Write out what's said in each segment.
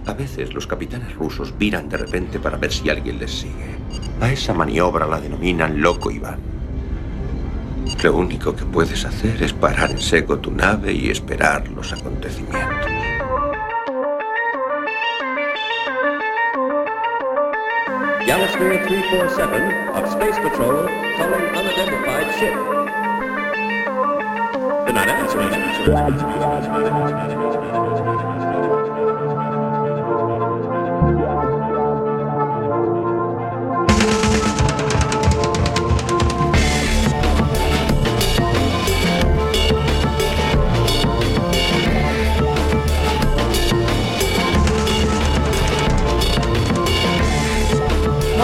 A veces los capitanes rusos viran de repente para ver si alguien les sigue. A esa maniobra la denominan loco Iván. Lo único que puedes hacer es parar en seco tu nave y esperar los acontecimientos. Yamasphere 347 of Space Patrol calling unidentified ship. Good night,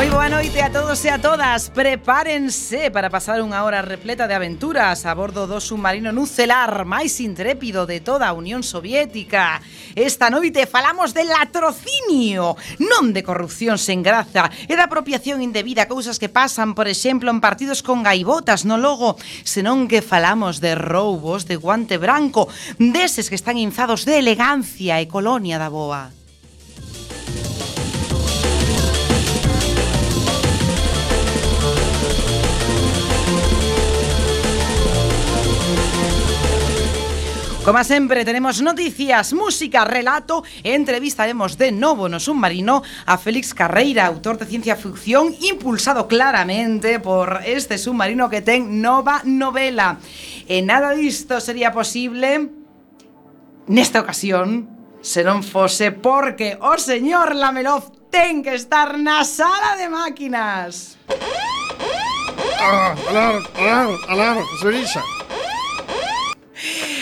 Moi boa noite a todos e a todas. Prepárense para pasar unha hora repleta de aventuras a bordo do submarino nucelar máis intrépido de toda a Unión Soviética. Esta noite falamos de latrocinio, non de corrupción sen graza e da apropiación indebida, cousas que pasan, por exemplo, en partidos con gaivotas no logo, senón que falamos de roubos de guante branco, deses que están inzados de elegancia e colonia da boa. Como sempre, tenemos noticias, música, relato e entrevistaremos de novo no submarino a Félix Carreira, autor de ciencia ficción, impulsado claramente por este submarino que ten nova novela. E nada disto sería posible nesta ocasión se non fose porque o señor Lamelov ten que estar na sala de máquinas. Alar, señorita.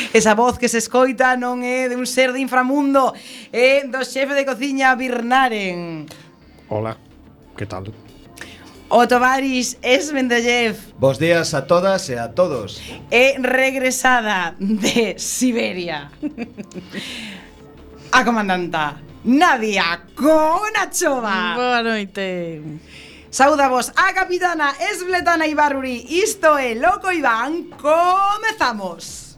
Esa voz que se escoita non é de un ser de inframundo, é do xefe de cociña Birnaren. Hola, que tal? O tovaris Esmendellev. Bos días a todas e a todos. É regresada de Siberia a comandanta Nadia Konachova. Boa noite. Saudavos a capitana Esbletana Ibaruri. Isto é Loco Iván. Comezamos.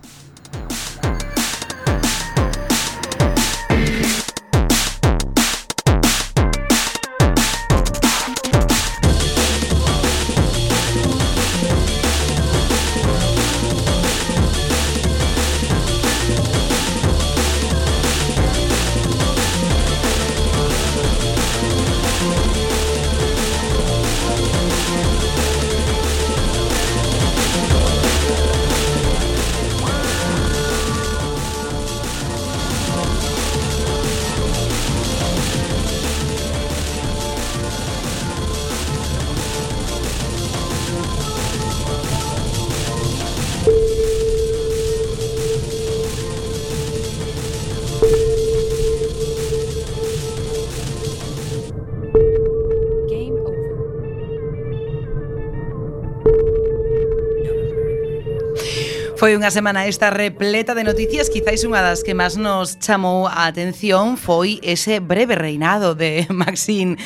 Foi unha semana esta repleta de noticias. Quizáis unha das que máis nos chamou a atención foi ese breve reinado de Maxim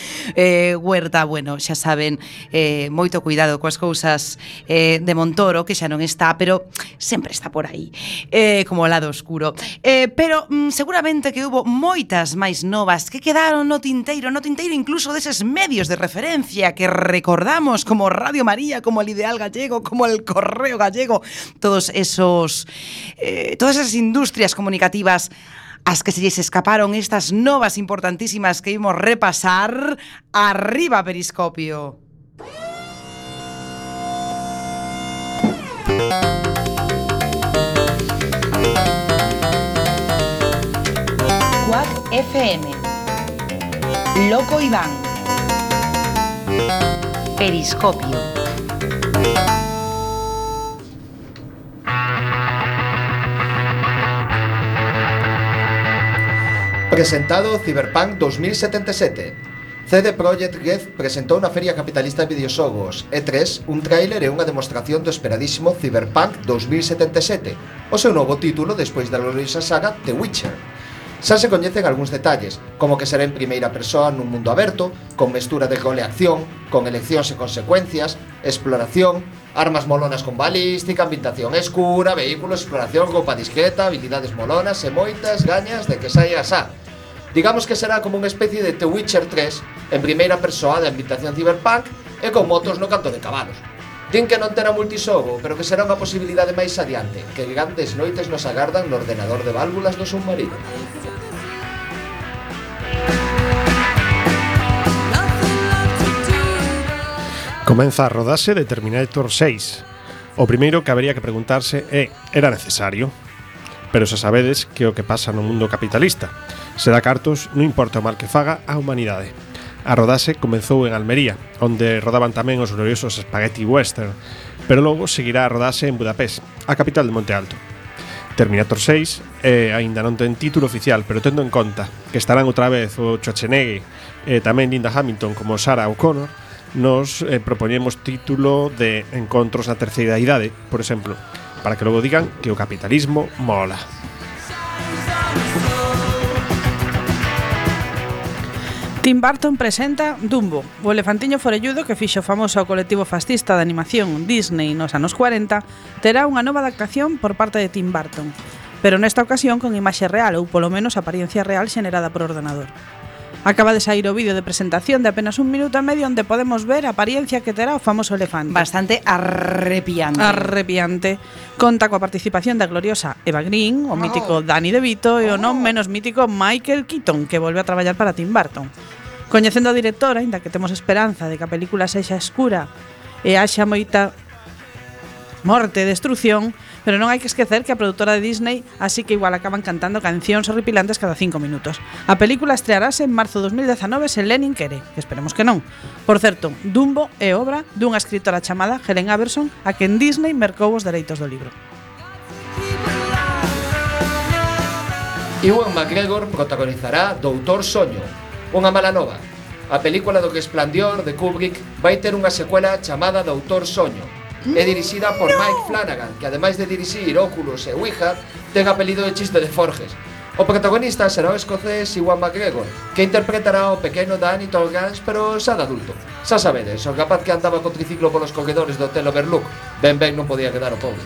Huerta. Bueno, xa saben, moito cuidado coas cousas de Montoro, que xa non está, pero sempre está por aí, como o lado oscuro. Pero seguramente que hubo moitas máis novas que quedaron no tinteiro incluso deses medios de referencia que recordamos como Radio María, como el Ideal Gallego, como el Correo Gallego, todas esas industrias comunicativas as que se lles escaparon estas novas importantísimas que imos repasar. Arriba Periscopio. Quack FM, Loco Iván, Periscopio. Presentado Cyberpunk 2077. CD Projekt Red presentou na Feria Capitalista de Videoxogos E3 un tráiler e unha demostración do esperadísimo Cyberpunk 2077, o seu novo título despois da gloriosa saga The Witcher. Xa se coñecen algúns detalles, como que será en primeira persoa nun mundo aberto, con mestura de rol e acción, con eleccións e consecuencias, exploración, armas molonas con balística, ambientación escura, vehículos, exploración, roupa discreta, habilidades molonas e moitas gañas de que saia xa. Digamos que será como unha especie de The Witcher 3 en primeira persoa de ambientación cyberpunk e con motos no canto de cabalos. Din que non terá multisogo, pero que será unha posibilidade máis adiante, que grandes noites nos agardan no ordenador de válvulas do submarino. Comeza a rodase de Terminator 6. O primeiro que habería que preguntarse é: era necesario? Pero xa sabedes que o que pasa no mundo capitalista. Se dá cartos, non importa o mal que faga a humanidade. A rodaxe comezou en Almería, onde rodaban tamén os gloriosos Spaghetti Western, pero logo seguirá a rodaxe en Budapest, a capital de Monte Alto. Terminator 6 aínda non ten título oficial, pero tendo en conta que estarán outra vez o Schwarzenegger e tamén Linda Hamilton como Sarah O'Connor, nos propoñemos título de Encontros na terceira idade, por exemplo, para que logo digan que o capitalismo mola. Tim Burton presenta Dumbo, o elefantiño forelludo que fixo famoso ao colectivo fascista de animación Disney nos anos 40, terá unha nova adaptación por parte de Tim Burton, pero nesta ocasión con imaxe real ou polo menos apariencia real xenerada por ordenador. Acaba de sair o vídeo de presentación de apenas 1 minuto e medio onde podemos ver a apariencia que terá o famoso elefante. Bastante arrepiante. Conta coa participación da gloriosa Eva Green, o mítico Danny DeVito e o non menos mítico Michael Keaton, que volve a traballar para Tim Burton. Coñecendo a directora, aínda que temos esperanza de que a película sexa escura e haxa moita morte e destrucción, pero non hai que esquecer que a produtora de Disney así que igual acaban cantando cancións horripilantes cada 5 minutos. A película estrearase en marzo de 2019 se Lenin quere, que esperemos que non. Por certo, Dumbo é obra dunha escritora chamada Helen Aberson, a quen Disney mercou os dereitos do libro. Ewan McGregor protagonizará Doutor Soño, unha mala nova. A película do Resplandor de Kubrick vai ter unha secuela chamada Doutor Soño. É dirixida por Mike Flanagan, que ademais de dirixir Oculus e Ouija, ten apelido de chiste de Forges. O protagonista será o escocés Ewan McGregor, que interpretará o pequeno Danny Tolgans, pero xa de adulto. Xa sabedes, o capaz que andaba con triciclo polos corredores do Hotel Overlook. Ben non podía quedar o pobre.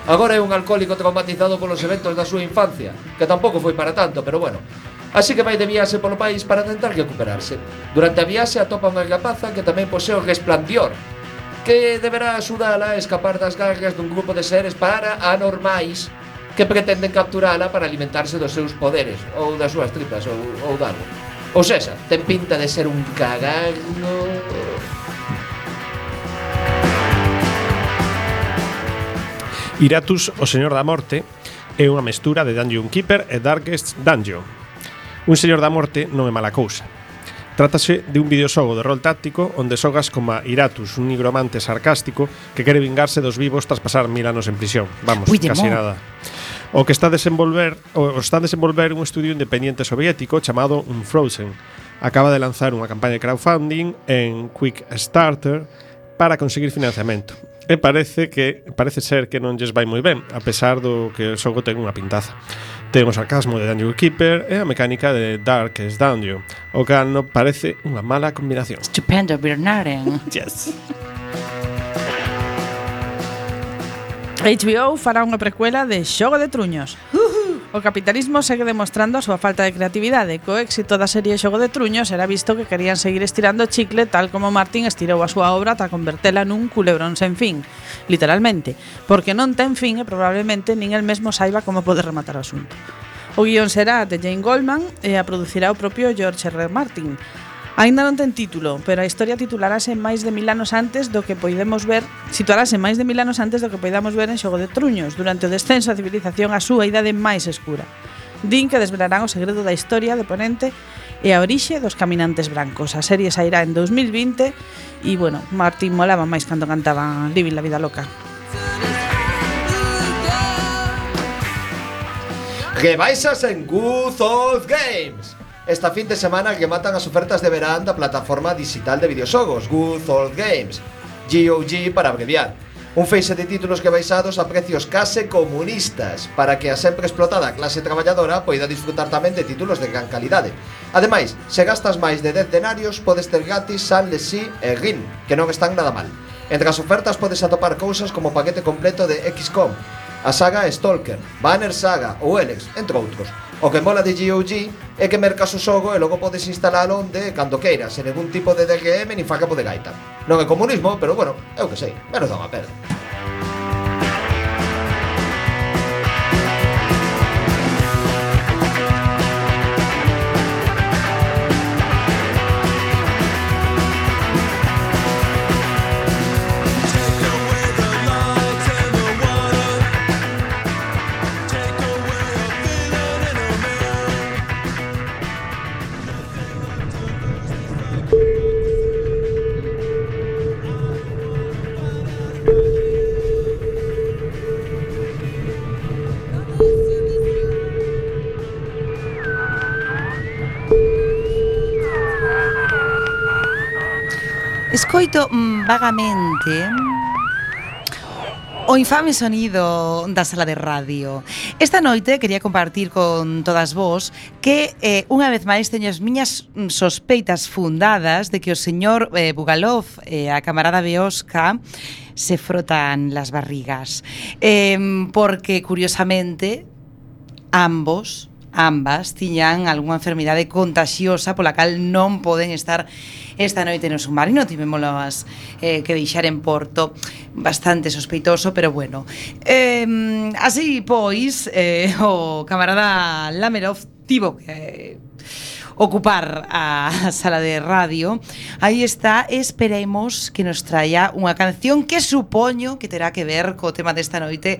Agora é un alcohólico traumatizado polos eventos da súa infancia, que tampouco foi para tanto, pero bueno. Así que vai de viaxe polo país para tentar recuperarse. Durante a viaxe atopa unha rapaza que tamén posee o Resplandor, que deberá axudala a escapar das garras dun grupo de seres paranormais que pretenden capturala para alimentarse dos seus poderes, ou das súas tripas, ou dalgo. Ou sexa, ten pinta de ser un cagarno. Iratus, o Señor da Morte, é unha mestura de Dungeon Keeper e Darkest Dungeon. Un Señor da Morte non é mala cousa. Trátase de un videoxogo de rol táctico onde xogas como Iratus, un nigromante sarcástico que quere vingarse dos vivos tras pasar 1000 anos en prisión. Vamos, casi nada. O que está a desenvolver un estudio independiente soviético chamado Unfrozen. Acaba de lanzar unha campaña de crowdfunding en Quickstarter para conseguir financiamento. E parece ser que non lles vai moi ben, a pesar do que o xogo ten unha pintaza. Ten o sarcasmo de Dungeon Keeper e a mecánica de Darkest Dungeon, o cal non parece unha mala combinación. Estupendo, Bernarden. Yes. HBO fará unha precuela de Xogo de Truños. O capitalismo segue demostrando a súa falta de creatividade. Co éxito da serie Xogo de Truños era visto que querían seguir estirando o chicle tal como Martin estirou a súa obra ata convertela nun culebrón sen fin, literalmente, porque non ten fin e probablemente nin el mesmo saiba como poder rematar o asunto. O guión será de Jane Goldman e a producirá o propio George R. Martin. Aínda non ten título, pero a historia titularase máis de 1000 anos antes do que poidamos ver, situarase máis de 1000 anos antes do que poidamos ver en Xogo de Truños, durante o descenso da civilización á súa idade máis escura. Din que desvelarán o segredo da historia de Ponente e a orixe dos caminantes brancos. A serie sairá en 2020 e, bueno, Martín molaba máis cando cantaba Living la vida loca. Rebaixas en Good Old Games. Esta fin de semana que matan as ofertas de verán da plataforma digital de videoxogos Good Old Games, GOG para abreviar. Un feixe de títulos que baixados a precios case comunistas para que a sempre explotada clase traballadora poida disfrutar tamén de títulos de gran calidade. Ademais, se gastas máis de 10 denarios podes ter gratis San Lesí e Rin, que non están nada mal. Entre as ofertas podes atopar cousas como o paquete completo de XCOM, a saga Stalker, Banner Saga ou Elex, entre outros. O que mola de GOG é que mercas o xogo e logo podes instalalo onde cando queiras, sen ningún tipo de DRM ni facapo de gaita. Non é comunismo, pero bueno, é o que sei, menos dá unha pena. Escoito vagamente o infame sonido da sala de radio. Esta noite quería compartir con todas vos que unha vez máis teño as miñas sospeitas fundadas de que o señor Bugalov e a camarada Beosca se frotan las barrigas. Porque, curiosamente, ambas tiñan algunha enfermidade contagiosa pola cal non poden estar esta noite no submarino. Tivémolas que deixar en Porto. Bastante sospeitoso, pero bueno. Así pois, o camarada Lamerov tivo que ocupar a sala de radio. Aí está, esperemos que nos traia unha canción que supoño que terá que ver co tema desta noite,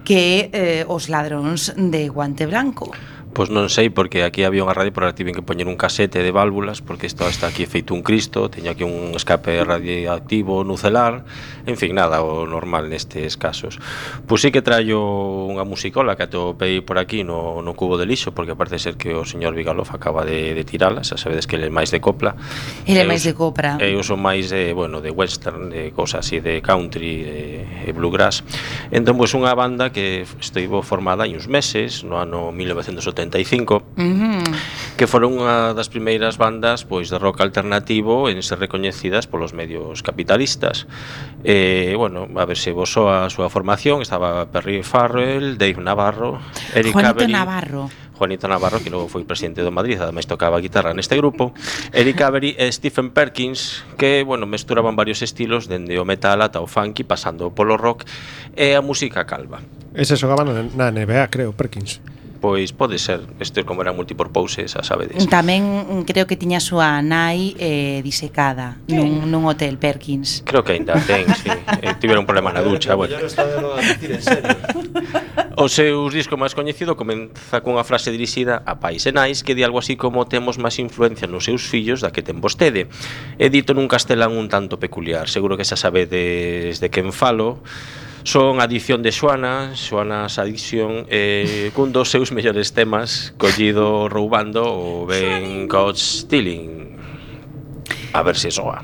que é Os ladróns de Guante Branco. Pois non sei, porque aquí había unha radio, pero tiven que poñer un casete de válvulas, porque isto está aquí feito un cristo, teño aquí un escape radioactivo nucelar, en fin, nada, o normal nestes casos. Pois sí que traio unha musicola que atopei por aquí no cubo de lixo, porque parece ser que o señor Vigalov acaba de tirala, xa sabedes que ele é máis de copla. Ele é máis de copla. Eu son máis de, bueno, de western, de cosas así, de country e bluegrass. Entón, pois unha banda que estivo formada hai uns meses, no ano 1975, que foron unha das primeiras bandas pois de rock alternativo en ser recoñecidas polos medios capitalistas. Bueno, a ver se vos soa a súa formación. Estaba Perry Farrell, Dave Navarro, Eric Avery, Juanito Navarro, que logo foi presidente do Madrid, ademais tocaba a guitarra neste grupo, Eric Avery e Stephen Perkins, que, bueno, mesturaban varios estilos, dende o metal ata o funky, pasando polo rock e a música calva. Ese xogaban na NBA, creo, Perkins. Pois pode ser, isto como era multipurpose, xa sabedes. Tamén creo que tiña a súa nai disecada nun hotel, Perkins. Creo que ainda ten, sí. Tiveron un problema na ducha, bueno. Os seus discos máis coñecido comeza cunha frase dirixida a pais e nais que di algo así como: temos máis influencia nos seus fillos da que ten vostede. É dito nun castelán un tanto peculiar, seguro que xa sabedes de quen falo. Son Adicción de Xoanas Addiction, cun dos seus mellores temas, collido roubando o ben Caught Stealing. A ver se soa.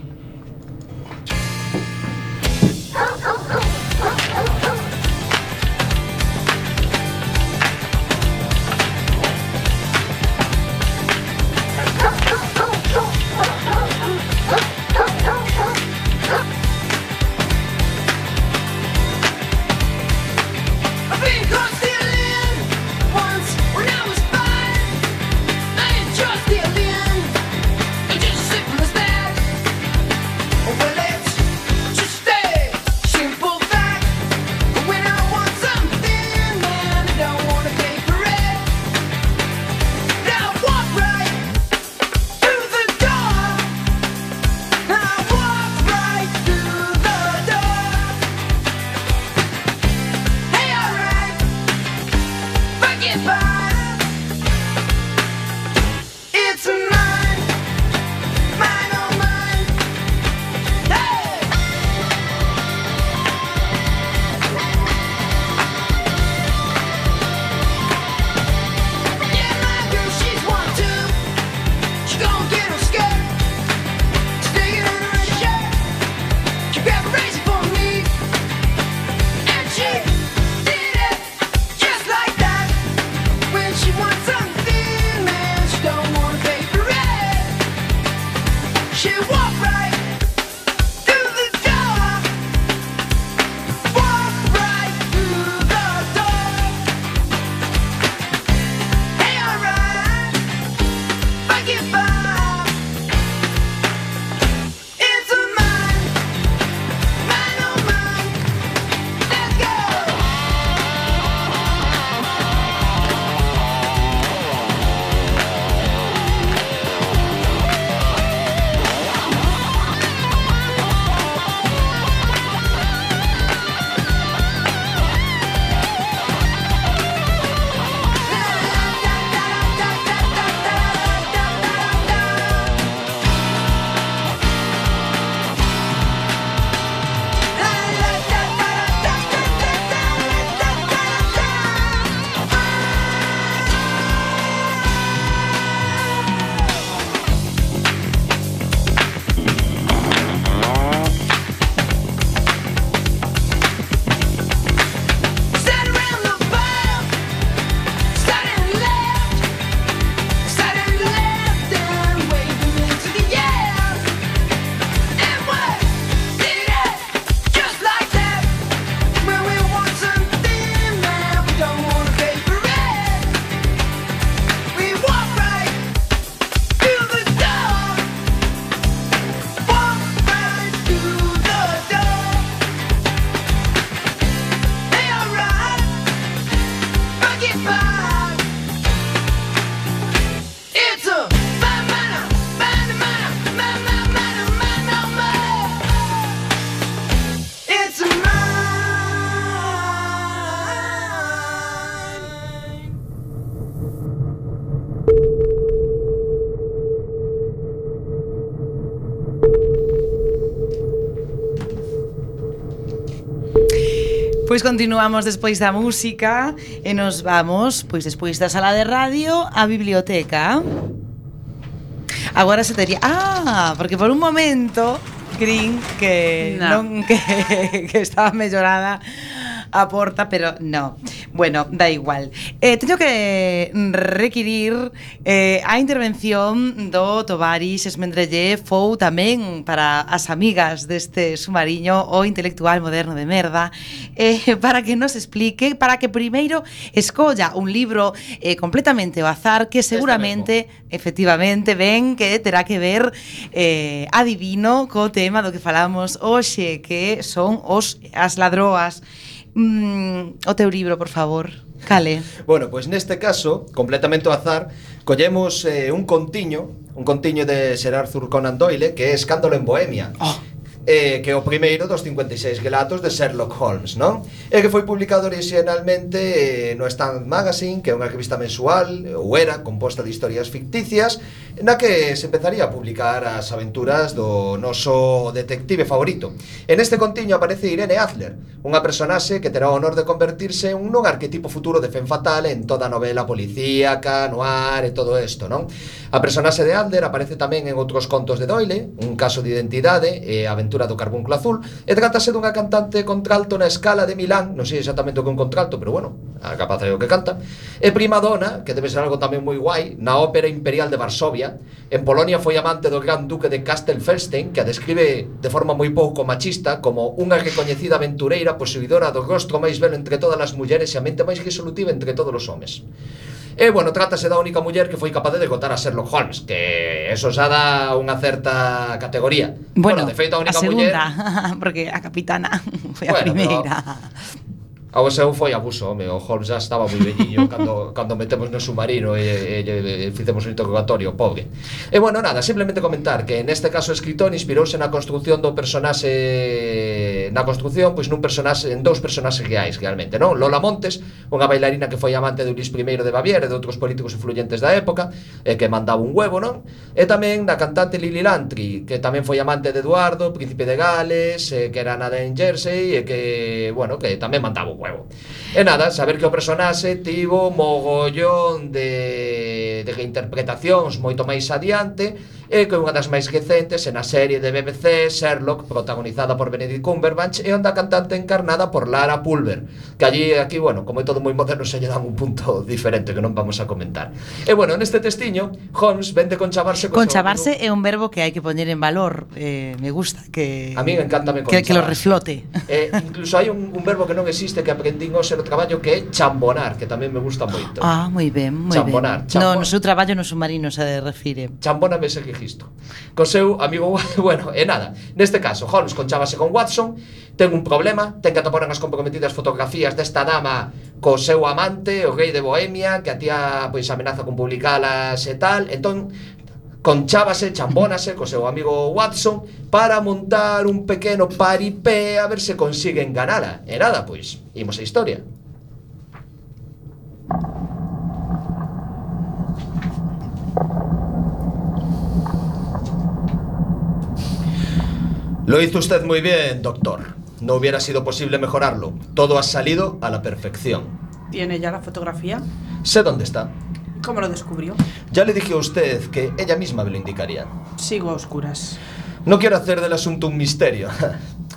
Pois continuamos despois da música e nos vamos, pois despois da sala de radio, á biblioteca. Agora se tería... porque por un momento crin que non que estaba mellorada a porta, pero no. Bueno, da igual. Teño que requirir a intervención do Tovarix Esmendrelle Fou tamén para as amigas deste submarino o intelectual moderno de merda, para que nos explique, para que primeiro escolla un libro completamente ao azar que seguramente, efectivamente, ven que terá que ver adivino co tema do que falamos hoxe, que son as ladroas. O teu libro, por favor. Cale. Bueno, pois neste caso, completamente ao azar, collemos un contiño de Sir Arthur Conan Doyle, que é Escándalo en Bohemia. Que é o primeiro dos 56 relatos de Sherlock Holmes, non? E que foi publicado originalmente no Stand Magazine, que é unha revista mensual, ou era, composta de historias ficticias, na que se empezaría a publicar as aventuras do noso detective favorito. En este contiño aparece Irene Adler, unha personaxe que terá o honor de convertirse en un arquetipo futuro de femme fatale en toda a novela policíaca, noir e todo isto, non? A personaxe de Adler aparece tamén en outros contos de Doyle, Un caso de identidade e Aventura do Carbúnculo Azul, e trátase dunha cantante contralto na Scala de Milán, non sei exactamente o que é un contralto, pero bueno, a capaz é o que canta, e prima dona, que debe ser algo tamén moi guai, na Ópera Imperial de Varsovia. En Polonia foi amante do Gran Duque de Castelfelstein, que a describe de forma moi pouco machista como unha recoñecida aventureira posuidora do rostro máis belo entre todas as mulleres e a mente máis resolutiva entre todos os homes. E, bueno, trátase da única muller que foi capaz de derrotar a Sherlock Holmes, que eso xa dá unha certa categoría. Bueno, de feito, a única segunda, muller... porque a capitana foi a primeira. Ao seu foi abuso, home, o Holmes já estaba moi velliño cando metemos no submarino e fizemos un interrogatorio, pobre. E, bueno, nada, simplemente comentar que neste caso o escritor inspirouse na construción do personaxe, pois en dous personaxes reais, realmente, non? Lola Montes, unha bailarina que foi amante de Luís I de Baviera e de outros políticos influyentes da época, e que mandaba un huevo, non? E tamén na cantante Lily Lantry, que tamén foi amante de Eduardo, príncipe de Gales, que era nada en Jersey, e que, bueno, que tamén mandaba un huevo. E nada, saber que o personaxe tivo mogollón de reinterpretacións moito máis adiante, e que unha das máis recentes na serie de BBC Sherlock, protagonizada por Benedict Cumberbatch, e onde a cantante encarnada por Lara Pulver, que aquí, bueno, como é todo moi moderno, se lle dan un punto diferente que non vamos a comentar. E, bueno, neste testiño, Holmes vende conchavarse Conchavarse é un verbo que hai que poñer en valor. Me gusta que... A mí encántame conchavarse. Que lo reflote. Incluso hai un verbo que non existe que aprendín hoxe no traballo, que é chambonar, que tamén me gusta moito. Moi ben, moi chambonar, ben. No seu traballo no submarino se refire. Chambóname ese registro. Con seu amigo, bueno, e nada. Neste caso, Holmes conchábase con Watson, ten un problema, ten que atopar unhas comprometidas fotografías desta dama co seu amante, o rei de Bohemia, que a tía pois amenaza con publicalas e tal. Entón, chambónase co seu amigo Watson para montar un pequeno paripé a ver se consiguen ganala. E nada, pois, imos a historia. Lo hizo usted muy bien, doctor. No hubiera sido posible mejorarlo. Todo ha salido a la perfección. ¿Tiene ya la fotografía? Sé dónde está. ¿Cómo lo descubrió? Ya le dije a usted que ella misma me lo indicaría. Sigo a oscuras. No quiero hacer del asunto un misterio.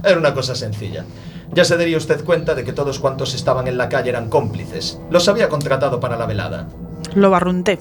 Era una cosa sencilla. Ya se daría usted cuenta de que todos cuantos estaban en la calle eran cómplices. Los había contratado para la velada. Lo barrunté.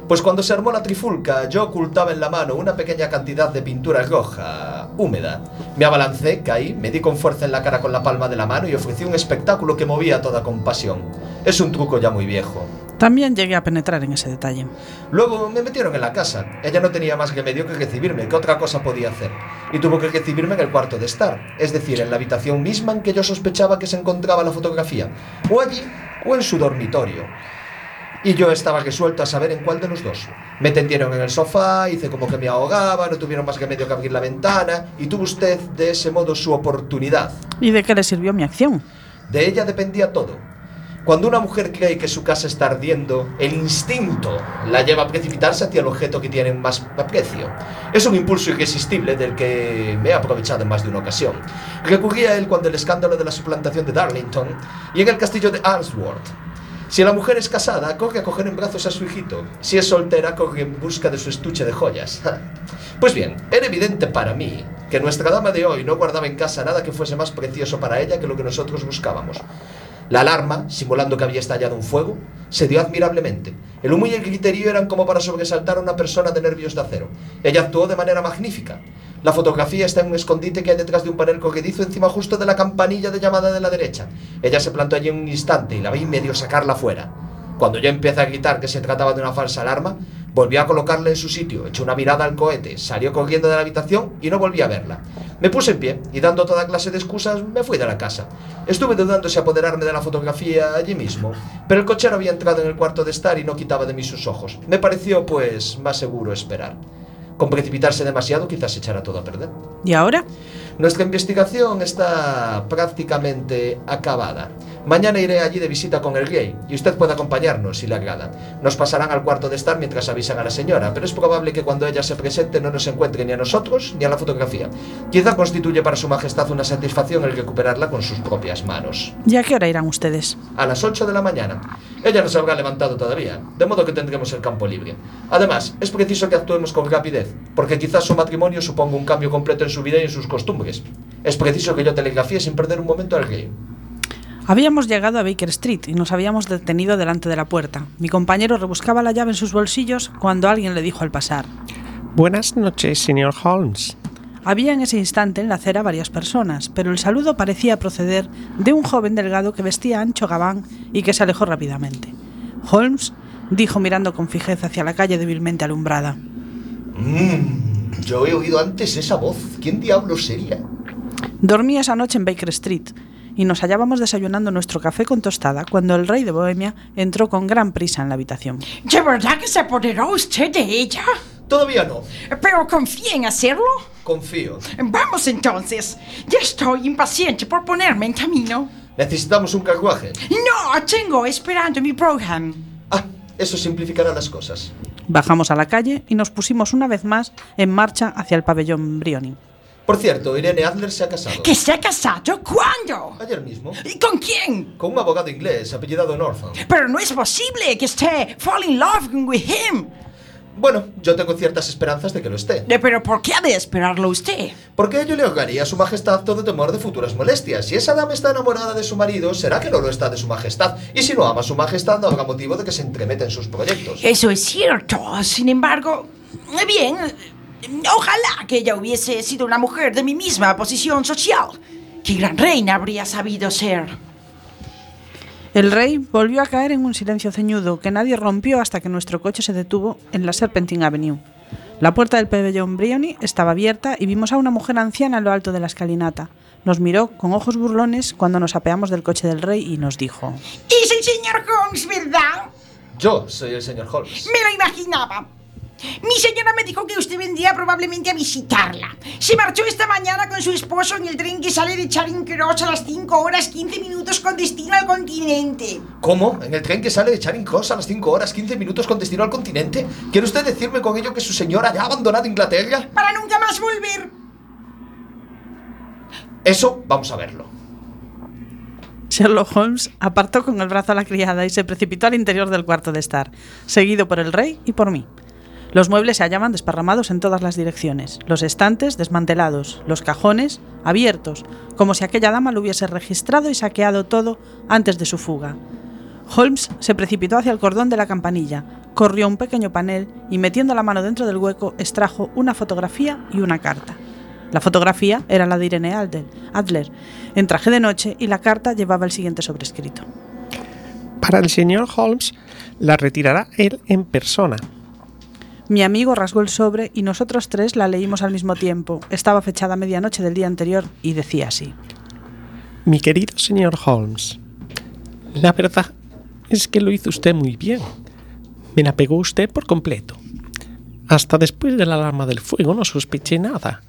Pues cuando se armó la trifulca, yo ocultaba en la mano una pequeña cantidad de pintura roja, húmeda. Me abalancé, caí, me di con fuerza en la cara con la palma de la mano y ofrecí un espectáculo que movía toda compasión. Es un truco ya muy viejo. También llegué a penetrar en ese detalle. Luego me metieron en la casa. Ella no tenía más remedio que recibirme. ¿Qué otra cosa podía hacer? Y tuvo que recibirme en el cuarto de estar. Es decir, en la habitación misma en que yo sospechaba que se encontraba la fotografía. O allí, o en su dormitorio. Y yo estaba resuelto a saber en cuál de los dos. Me tendieron en el sofá, hice como que me ahogaba, no tuvieron más remedio que abrir la ventana, y tuvo usted de ese modo su oportunidad. ¿Y de qué le sirvió mi acción? De ella dependía todo. Cuando una mujer cree que su casa está ardiendo, el instinto la lleva a precipitarse hacia el objeto que tiene más aprecio. Es un impulso irresistible del que me he aprovechado en más de una ocasión. Recurrí a él cuando el escándalo de la suplantación de Darlington y en el castillo de Arnsworth. Si la mujer es casada, corre a coger en brazos a su hijito. Si es soltera, corre en busca de su estuche de joyas. Pues bien, era evidente para mí que nuestra dama de hoy no guardaba en casa nada que fuese más precioso para ella que lo que nosotros buscábamos. La alarma, simulando que había estallado un fuego, se dio admirablemente. El humo y el griterío eran como para sobresaltar a una persona de nervios de acero. Ella actuó de manera magnífica. La fotografía está en un escondite que hay detrás de un panel corredizo encima justo de la campanilla de llamada de la derecha. Ella se plantó allí en un instante y la vi medio sacarla fuera. Cuando yo empecé a gritar que se trataba de una falsa alarma, volvió a colocarla en su sitio, echó una mirada al cohete, salió corriendo de la habitación y no volví a verla. Me puse en pie y dando toda clase de excusas me fui de la casa. Estuve dudando si apoderarme de la fotografía allí mismo, pero el cochero había entrado en el cuarto de estar y no quitaba de mí sus ojos. Me pareció, pues, más seguro esperar. Con precipitarse demasiado quizás se echara todo a perder. ¿Y ahora? Nuestra investigación está prácticamente acabada. Mañana iré allí de visita con el rey y usted puede acompañarnos si le agrada. Nos pasarán al cuarto de estar mientras avisan a la señora, pero es probable que cuando ella se presente no nos encuentre ni a nosotros ni a la fotografía. Quizá constituye para su majestad una satisfacción el recuperarla con sus propias manos. ¿Y a qué hora irán ustedes? A las 8 de la mañana. Ella no se habrá levantado todavía, de modo que tendremos el campo libre. Además, es preciso que actuemos con rapidez, porque quizás su matrimonio suponga un cambio completo en su vida y en sus costumbres. Es preciso que yo telegrafíe sin perder un momento al rey. Habíamos llegado a Baker Street y nos habíamos detenido delante de la puerta. Mi compañero rebuscaba la llave en sus bolsillos cuando alguien le dijo al pasar: Buenas noches, señor Holmes. Había en ese instante en la acera varias personas, pero el saludo parecía proceder de un joven delgado que vestía ancho gabán y que se alejó rápidamente. Holmes dijo mirando con fijeza hacia la calle débilmente alumbrada: Yo he oído antes esa voz. ¿Quién diablos sería? Dormí esa noche en Baker Street y nos hallábamos desayunando nuestro café con tostada cuando el rey de Bohemia entró con gran prisa en la habitación. ¿De verdad que se apoderó usted de ella? Todavía no. ¿Pero confía en hacerlo? Confío. Vamos entonces. Ya estoy impaciente por ponerme en camino. ¿Necesitamos un carruaje? No, tengo esperando mi Brougham. Ah, eso simplificará las cosas. Bajamos a la calle y nos pusimos una vez más en marcha hacia el pabellón Briony. Por cierto, Irene Adler se ha casado. ¿Que se ha casado? ¿Cuándo? Ayer mismo. ¿Y con quién? Con un abogado inglés apellidado Norton. Pero no es posible que esté fall in love with him. Bueno, yo tengo ciertas esperanzas de que lo esté. ¿Pero por qué ha de esperarlo usted? Porque ello le ahogaría a su majestad todo temor de futuras molestias. Si esa dama está enamorada de su marido, será que no lo está de su majestad. Y si no ama a su majestad, no habrá motivo de que se entremeta en sus proyectos. Eso es cierto. Sin embargo, bien, ojalá que ella hubiese sido una mujer de mi misma posición social. ¡Qué gran reina habría sabido ser! El rey volvió a caer en un silencio ceñudo que nadie rompió hasta que nuestro coche se detuvo en la Serpentine Avenue. La puerta del pabellón Briony estaba abierta y vimos a una mujer anciana en lo alto de la escalinata. Nos miró con ojos burlones cuando nos apeamos del coche del rey y nos dijo: Es el señor Holmes, ¿verdad? Yo soy el señor Holmes. Me lo imaginaba. Mi señora me dijo que usted vendría probablemente a visitarla. Se marchó esta mañana con su esposo en el tren que sale de Charing Cross a las 5 horas 15 minutos con destino al continente. ¿Cómo? ¿En el tren que sale de Charing Cross a las 5 horas 15 minutos con destino al continente? ¿Quiere usted decirme con ello que su señora ya ha abandonado Inglaterra? Para nunca más volver. Eso vamos a verlo. Sherlock Holmes apartó con el brazo a la criada y se precipitó al interior del cuarto de estar, seguido por el rey y por mí. Los muebles se hallaban desparramados en todas las direcciones, los estantes desmantelados, los cajones abiertos, como si aquella dama lo hubiese registrado y saqueado todo antes de su fuga. Holmes se precipitó hacia el cordón de la campanilla, corrió un pequeño panel y metiendo la mano dentro del hueco extrajo una fotografía y una carta. La fotografía era la de Irene Adler, en traje de noche, y la carta llevaba el siguiente sobrescrito: Para el señor Holmes, la retirará él en persona. Mi amigo rasgó el sobre y nosotros tres la leímos al mismo tiempo. Estaba fechada a medianoche del día anterior y decía así: Mi querido señor Holmes, la verdad es que lo hizo usted muy bien. Me la pegó usted por completo. Hasta después de la alarma del fuego no sospeché nada.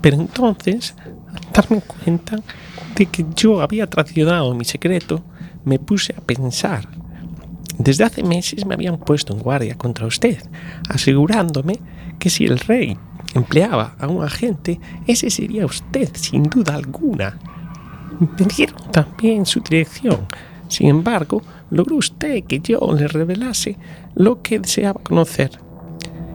Pero entonces, al darme cuenta de que yo había traicionado mi secreto, me puse a pensar. Desde hace meses me habían puesto en guardia contra usted, asegurándome que si el rey empleaba a un agente, ese sería usted, sin duda alguna. Me dieron también su dirección. Sin embargo, logró usted que yo le revelase lo que deseaba conocer.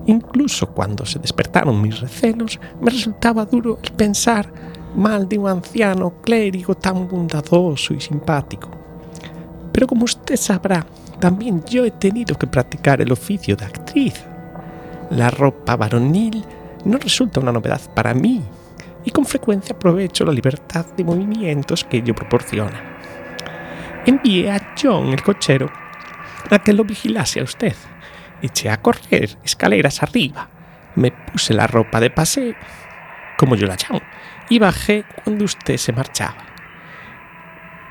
Incluso cuando se despertaron mis recelos, me resultaba duro el pensar mal de un anciano clérigo tan bondadoso y simpático. Pero como usted sabrá, también yo he tenido que practicar el oficio de actriz. La ropa varonil no resulta una novedad para mí, y con frecuencia aprovecho la libertad de movimientos que ello proporciona. Envié a John, el cochero, a que lo vigilase a usted. Eché a correr escaleras arriba, me puse la ropa de paseo, como yo la llamo, y bajé cuando usted se marchaba.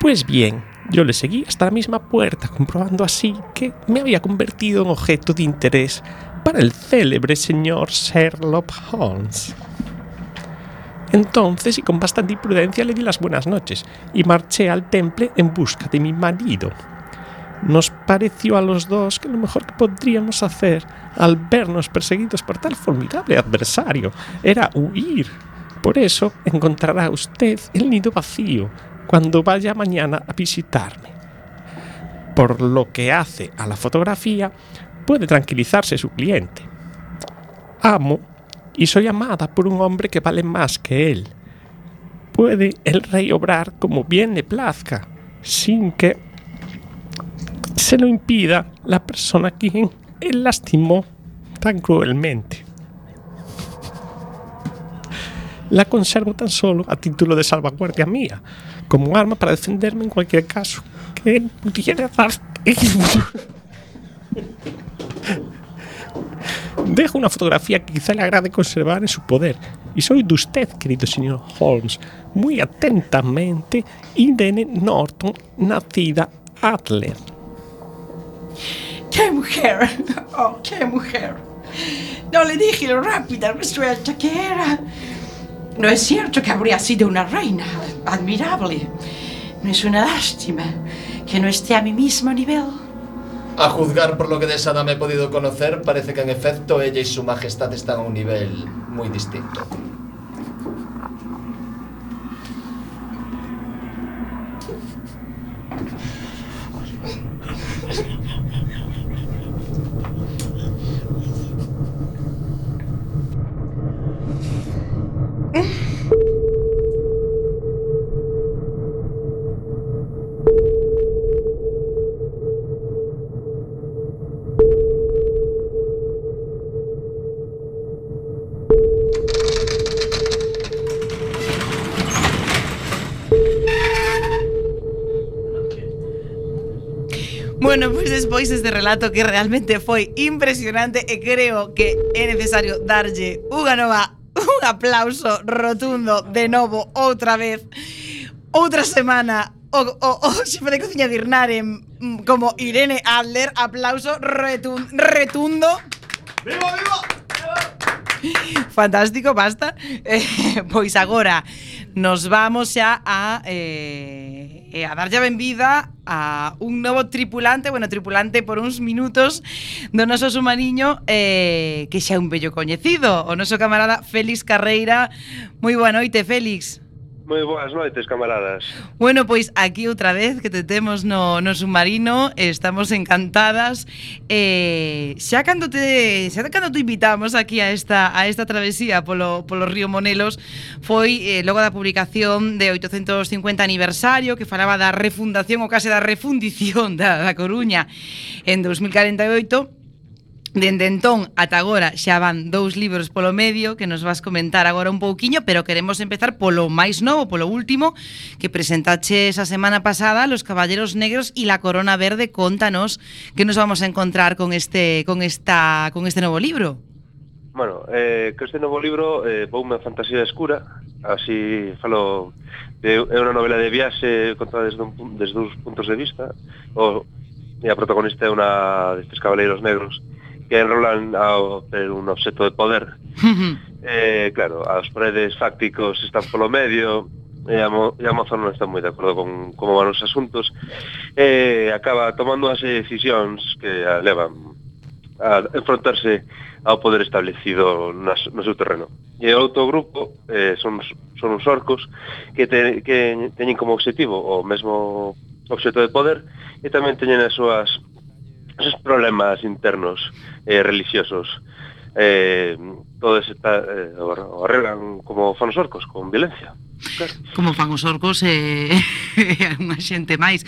Pues bien, yo le seguí hasta la misma puerta, comprobando así que me había convertido en objeto de interés para el célebre señor Sherlock Holmes. Entonces, y con bastante imprudencia, le di las buenas noches y marché al temple en busca de mi marido. Nos pareció a los dos que lo mejor que podríamos hacer al vernos perseguidos por tal formidable adversario era huir. Por eso encontrará usted el nido vacío cuando vaya mañana a visitarme. Por lo que hace a la fotografía, puede tranquilizarse su cliente. Amo y soy amada por un hombre que vale más que él. Puede el rey obrar como bien le plazca, sin que se lo impida la persona a quien él lastimó tan cruelmente. La conservo tan solo a título de salvaguardia mía, como arma para defenderme en cualquier caso que él pudiera dar. Dejo una fotografía que quizá le agrade conservar en su poder, y soy de usted, querido señor Holmes, muy atentamente, Irene Norton, nacida Adler. ¡Qué mujer! ¡Oh, qué mujer! No le dije lo rápida, resuelta que era. No es cierto que habría sido una reina admirable. No es una lástima que no esté a mi mismo nivel. A juzgar por lo que de esa dama he podido conocer, parece que en efecto ella y su majestad están a un nivel muy distinto. Bueno, pois despois deste relato que realmente foi impresionante e creo que é necesario darlle un aplauso rotundo de novo outra vez, outra semana o xefe de cociña de Irnare como Irene Adler. Aplauso retundo. ¡Viva, viva! Fantástico, basta. Pois agora nos vamos xa a darlle a benvida a un novo tripulante por uns minutos do noso submariño, que xa é un bello coñecido, o noso camarada Félix Carreira. Moi boa noite, Félix. Moi boas noites, camaradas. Bueno, pois aquí outra vez que te temos no submarino, estamos encantadas. Xa cando te invitamos aquí a esta travesía polo río Monelos foi logo da publicación de 850 aniversario, que falaba da refundación ou case da refundición da Coruña en 2048. Dende entón ata agora xa van 2 libros polo medio que nos vas comentar agora un pouquiño, pero queremos empezar polo máis novo, polo último que presentache esa semana pasada, Los Caballeros Negros y la Corona Verde. Contanos que nos vamos a encontrar con este novo libro. Bueno, que este novo libro voume a fantasía escura, así falo, é unha novela de viaxe contada desde dous puntos de vista. A protagonista é unha destes caballeiros negros que enrolan un obxecto de poder. Claro, os poderes fácticos están polo medio, e a moza non está moi de acordo con como van os asuntos, acaba tomando as decisións que a levan a enfrontarse ao poder establecido no seu terreno. E o outro grupo son uns orcos que teñen como objetivo o mesmo obxecto de poder e tamén teñen os seus problemas internos religiosos. Todos o arreglan como fan os orcos, con violencia. Claro. Como fan os orcos e unha xente máis.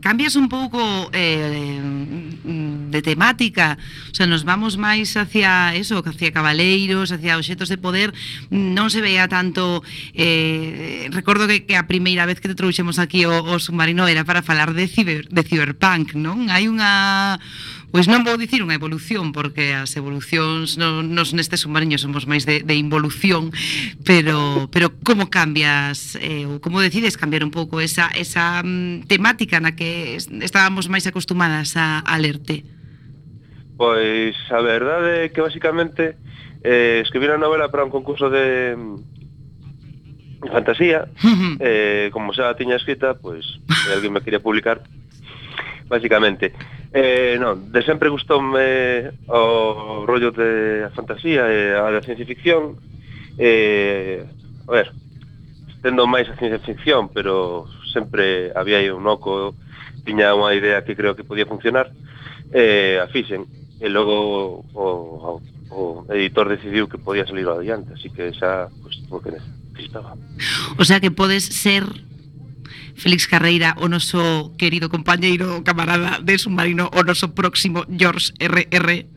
Cambias un pouco de temática, o sea, nos vamos máis hacia eso, hacia cabaleiros, hacia obxetos de poder, non se veía tanto. Recordo que a primeira vez que te trouxemos aquí o submarino era para falar de Cyberpunk, non? Hai unha... Pois non vou dicir unha evolución, porque as evolucións nos neste submarino somos máis de involución, pero como cambias, ou como decides cambiar un pouco esa temática na que estábamos máis acostumadas a lerte? Pois a verdade é que basicamente escribí unha novela para un concurso de fantasía, como xa tiña escrita, pois alguén me quería publicar, basicamente. Non, de sempre gustoume o rollo de a fantasía e a da ciencia ficción. A ver, tendo máis a ciencia ficción, pero sempre había aí un oco, tiña unha idea que creo que podía funcionar, a fixen, e logo o editor decidiu que podía salir adiante, así que xa, pues, o que necesitaba. O sea que podes ser Félix Carreira, o noso querido compañeiro, camarada de submarino, o noso próximo George R.R.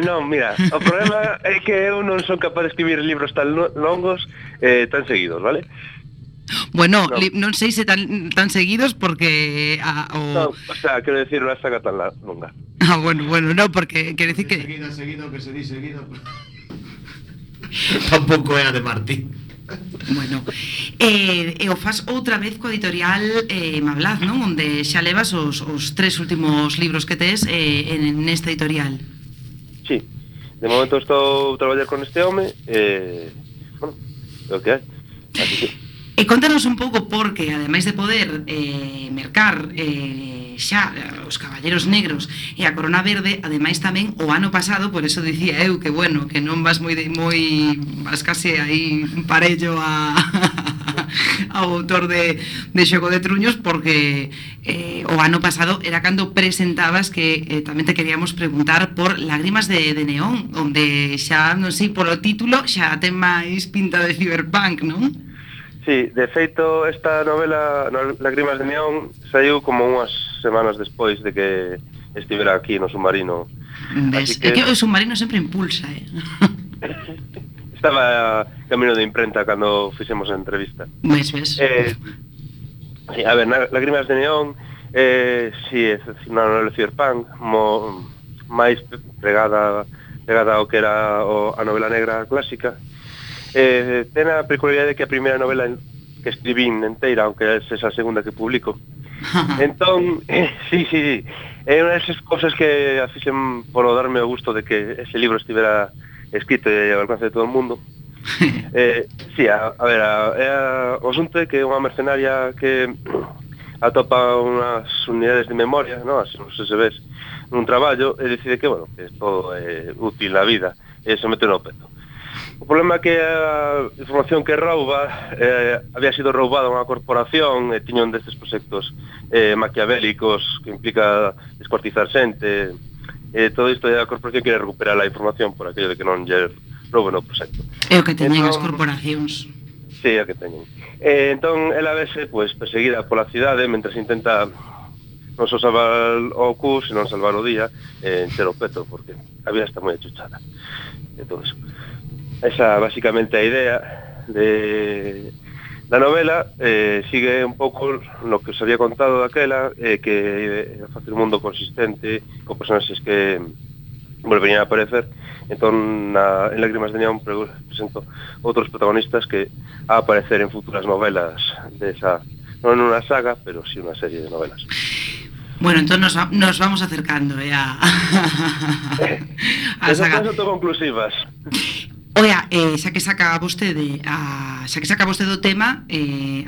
Non, mira, o problema é que eu non son capaz de escribir libros tan longos, tan seguidos, vale? Bueno, non sei se tan seguidos porque... Non, o sea, quero decir, unha saga tan longa. Bueno, no, porque quero decir que... Seguido, que se di seguido... Tampouco é a de Martín. Bueno, e o fas outra vez coa editorial Mablaz, non? Onde xa levas os 3 últimos libros que tes nesta editorial. Sí, de momento estou a traballar con este home, bueno, é o que hai, así que... E contanos un pouco porque, ademais de poder mercar xa os Caballeros Negros e a Corona Verde, ademais tamén o ano pasado, por eso dicía eu que bueno, que non vas vas case aí parello ao autor de Xogo de Truños, porque o ano pasado era cando presentabas, que tamén te queríamos preguntar por Lágrimas de Neón, onde xa, non sei, polo título xa ten máis pinta de Cyberpunk, non? Sí, de feito, esta novela, Lágrimas de Neón, saiu como unhas semanas despois de que estivera aquí no submarino. Ves, que... É que o submarino sempre impulsa, Estaba camino de imprenta cando fixemos a entrevista. Ves. Sí, a ver, Lágrimas de Neón, sí, é unha novela Cyberpunk, máis pegada ao que era a novela negra clásica. Ten a peculiaridade que a primeira novela que escribín enteira, aunque é esa segunda que publico. Entón, sí, é unha desas cosas que a fixen por darme o gusto de que ese libro estivera escrito e ao alcance de todo o mundo. Sí, a ver, o asunto é que é unha mercenaria que atopa unhas unidades de memoria, non, así non sei se ves, nun traballo, e decide que, bueno, que isto é útil na vida, e se mete no peto. O problema é que a información que rouba había sido roubada a unha corporación e tiña un destes proxectos maquiavélicos que implica descuartizar xente, e todo isto a corporación quere recuperar a información por aquello de que non lle rouben o proxecto. É o que teñen as corporacións. Sí, é o que teñen. Entón, ela vese perseguida pola cidade mentre intenta non só salvar o cu, senón salvar o día encher o peto, porque a vida está moi achuchada e todo eso. Esa basicamente a idea da novela, sigue un pouco no que os había contado daquela, que facer un mundo consistente con personaxes que volverían a aparecer. Entón, en Lágrimas de Neón presento outros protagonistas que a aparecer en futuras novelas desa, non unha saga, pero sí unha serie de novelas. Bueno, entón nos vamos acercando a saga. Esas son autoconclusivas. Oia, xa que saca vostede o tema,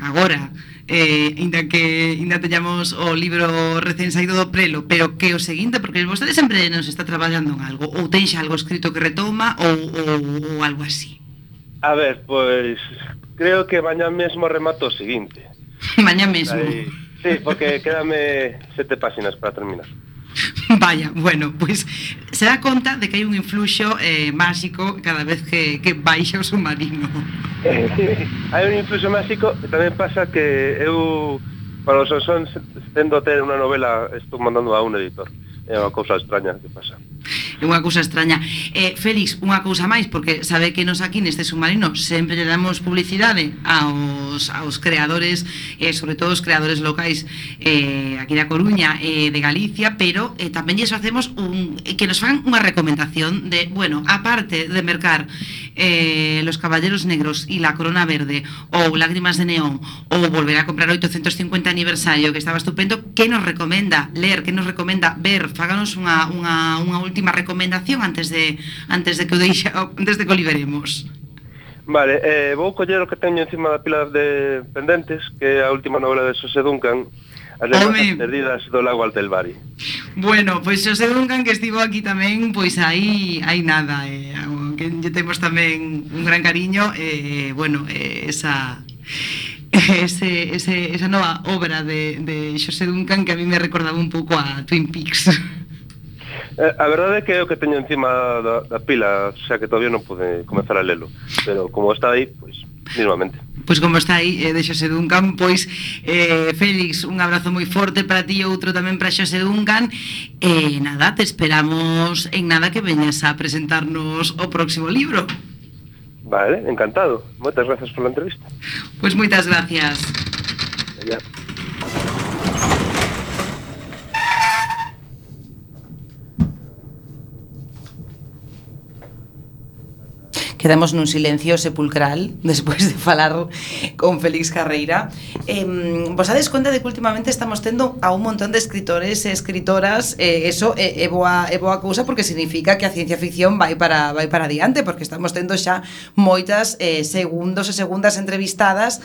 agora, ainda teñamos o libro recén saído do prelo, pero que o seguinte, porque vostede sempre nos está traballando en algo, ou ten xa algo escrito que retoma, ou algo así. A ver, pois creo que mañá mesmo remato o seguinte. Mañá mesmo. Sí, porque quédame 7 páxinas para terminar. Vaya, bueno, pois se dá conta de que hai un influxo máxico cada vez que baixa o submarino. Hai un influxo máxico e tamén pasa que eu, para os son tendo a ter unha novela, estou mandando a un editor. É unha cousa extraña que pasa. É unha cousa extraña. Félix, unha cousa máis, porque sabe que nos aquí neste submarino sempre lle damos publicidade aos creadores, sobre todo os creadores locais aquí da Coruña e de Galicia, pero tamén lles facemos que nos fan unha recomendación de, bueno, aparte de mercar Los Caballeros Negros e La Corona Verde ou Lágrimas de Neón ou volver a comprar 850 aniversario, que estaba estupendo, que nos recomenda ler, que nos recomenda ver? Fáganos unha última recomendación antes de que o liberemos. Vale, vou coller o que teño encima da pila de pendentes, que é a última novela de Xosé Duncan, As lendas perdidas do lago Altelbari. Bueno, pois Xosé Duncan, que estivo aquí tamén, pois aí nada, que lle temos tamén un gran cariño, bueno, esa nova obra de Xosé Duncan que a mí me recordaba un pouco a Twin Peaks. A verdade é que é o que teño encima da pila, o sea que todavía non pude comenzar a lelo, pero como está aí, pois, mismamente. Pois como está aí de Xosé Duncan, pois Félix, un abrazo moi forte para ti e outro tamén para Xosé Duncan, e nada, te esperamos en nada que veñas a presentarnos o próximo libro. Vale, encantado. Moitas grazas pola entrevista. Pois moitas gracias. Ya. Quedamos nun silencio sepulcral despois de falar con Félix Carreira. Vos dades conta de que últimamente estamos tendo a un montón de escritores e escritoras, eso é boa cousa, porque significa que a ciencia ficción vai para adiante, porque estamos tendo xa moitas segundos e segundas entrevistadas